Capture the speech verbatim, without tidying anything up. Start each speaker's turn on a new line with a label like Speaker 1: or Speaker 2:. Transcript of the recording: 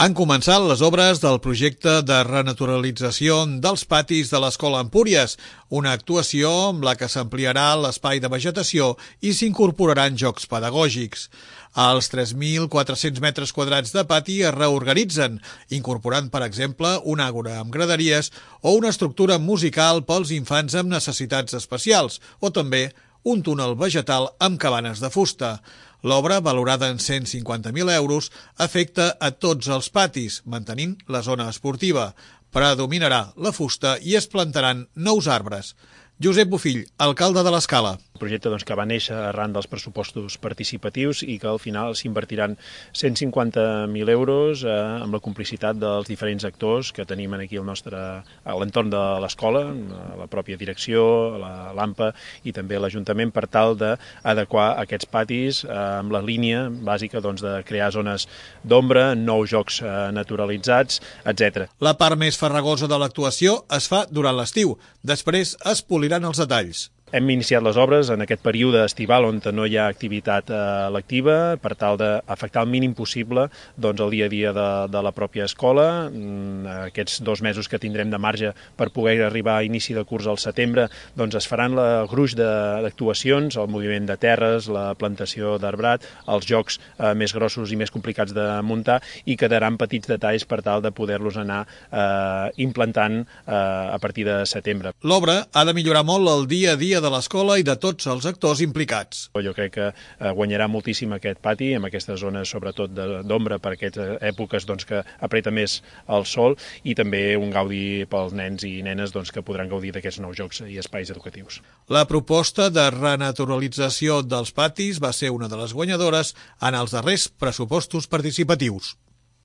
Speaker 1: Han començat les obres del projecte de renaturalització dels patis de l'Escola Empúries, una actuació amb la que s'ampliarà l'espai de vegetació i s'incorporaran jocs pedagògics. Els tres mil quatre-cents metres quadrats de pati es reorganitzen, incorporant, per exemple, un àgora amb graderies o una estructura musical pels infants amb necessitats especials, o també un túnel vegetal amb cabanes de fusta. L'obra, valorada en cent cinquanta mil euros, afecta a tots els patis, mantenint la zona esportiva. Predominarà la fusta i es plantaran nous arbres. Josep Bofill, alcalde de l'Escala.
Speaker 2: Un projecte doncs, que va néixer arran dels pressupostos participatius i que al final s'invertiran cent cinquanta mil euros eh, amb la complicitat dels diferents actors que tenim aquí al nostre, a l'entorn de l'escola, la pròpia direcció, l'AMPA i també l'Ajuntament, per tal d'adequar aquests patis eh, amb la línia bàsica doncs, de crear zones d'ombra, nous jocs eh, naturalitzats, etcètera.
Speaker 1: La part més farragosa de l'actuació es fa durant l'estiu. Després es poliran els detalls.
Speaker 2: Hem iniciat les obres en aquest període estival on no hi ha activitat eh, lectiva per tal d'afectar el mínim possible doncs, el dia a dia de, de la pròpia escola. Mm, aquests dos mesos que tindrem de marge per poder arribar a inici de curs al setembre doncs, es faran el gruix d'actuacions, el moviment de terres, la plantació d'arbrat, els jocs eh, més grossos i més complicats de muntar i quedaran petits detalls per tal de poder-los anar eh, implantant eh, a partir de setembre.
Speaker 1: L'obra ha de millorar molt el dia a dia de l'escola i de tots els actors implicats.
Speaker 2: Jo crec que guanyarà moltíssim aquest pati, amb aquestes zones sobretot d'ombra per aquestes èpoques doncs, que apreta més el sol i també un gaudi pels nens i nenes doncs, que podran gaudir d'aquests nous jocs i espais educatius.
Speaker 1: La proposta de renaturalització dels patis va ser una de les guanyadores en els darrers pressupostos participatius.